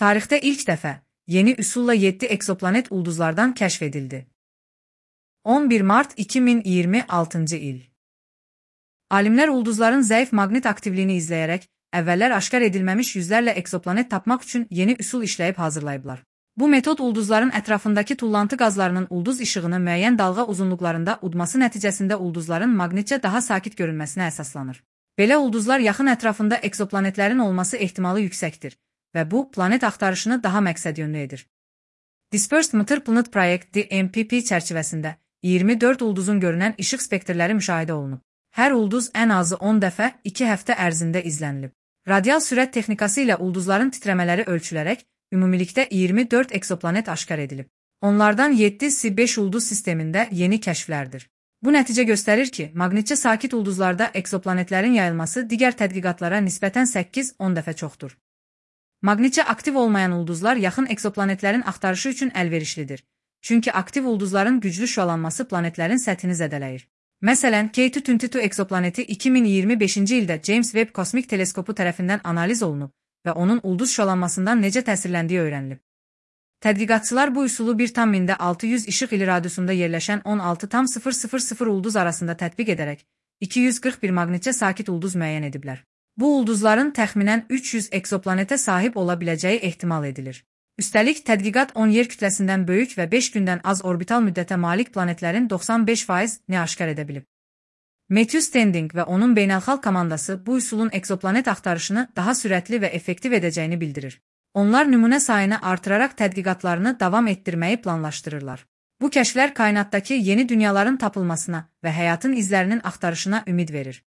Tarixdə ilk dəfə yeni üsulla 7 eksoplanet ulduzlardan kəşf edildi. 11 mart 2026 il. Alimlər ulduzların zəif maqnit aktivliyini izləyərək, əvvəllər aşkar edilməmiş yüzlərlə eksoplanet tapmaq üçün yeni üsul işləyib hazırlayıblar. Bu metod ulduzların ətrafındakı tullantı qazlarının ulduz işığını müəyyən dalğa uzunluqlarında udması nəticəsində ulduzların maqnitcə daha sakit görünməsinə əsaslanır. Belə ulduzlar yaxın ətrafında eksoplanetlərin olması ehtimalı yüksəkdir və bu, planet axtarışını daha məqsədyönlü edir. Dispersed Matter Planet Project DMPP çərçivəsində 24 ulduzun görünən işıq spektrləri müşahidə olunub. Hər ulduz ən azı 10 dəfə 2 həftə ərzində izlənilib. Radial sürət texnikası ilə ulduzların titrəmələri ölçülərək, ümumilikdə 24 eksoplanet aşkar edilib. Onlardan 7-si 5 ulduz sistemində yeni kəşflərdir. Bu nəticə göstərir ki, maqnitcə sakit ulduzlarda eksoplanetlərin yayılması digər tədqiqatlara nisbətən 8-10 dəfə çoxdur. Maqnitcə aktiv olmayan ulduzlar yaxın eksoplanetlərin axtarışı üçün əlverişlidir. Çünki aktiv ulduzların güclü şüalanması planetlərin səthini zədələyir. Məsələn, K2-22 eksoplaneti 2025-ci ildə James Webb Kosmik Teleskopu tərəfindən analiz olunub və onun ulduz şüalanmasından necə təsirləndiyi öyrənilib. Tədqiqatçılar bu üsulu 1,600 işıq ili radiusunda yerləşən 16,000 ulduz arasında tətbiq edərək 241 maqnitcə sakit ulduz müəyyən ediblər. Bu ulduzların təxminən 300 eksoplanetə sahib ola biləcəyi ehtimal edilir. Üstəlik, tədqiqat 10 yer kütləsindən böyük və 5 gündən az orbital müddətə malik planetlərin 95%-ni aşkar edə bilib. Matthew Standing və onun beynəlxalq komandası bu üsulun eksoplanet axtarışını daha sürətli və effektiv edəcəyini bildirir. Onlar nümunə sayını artıraraq tədqiqatlarını davam etdirməyi planlaşdırırlar. Bu kəşflər kainatdakı yeni dünyaların tapılmasına və həyatın izlərinin axtarışına ümid verir.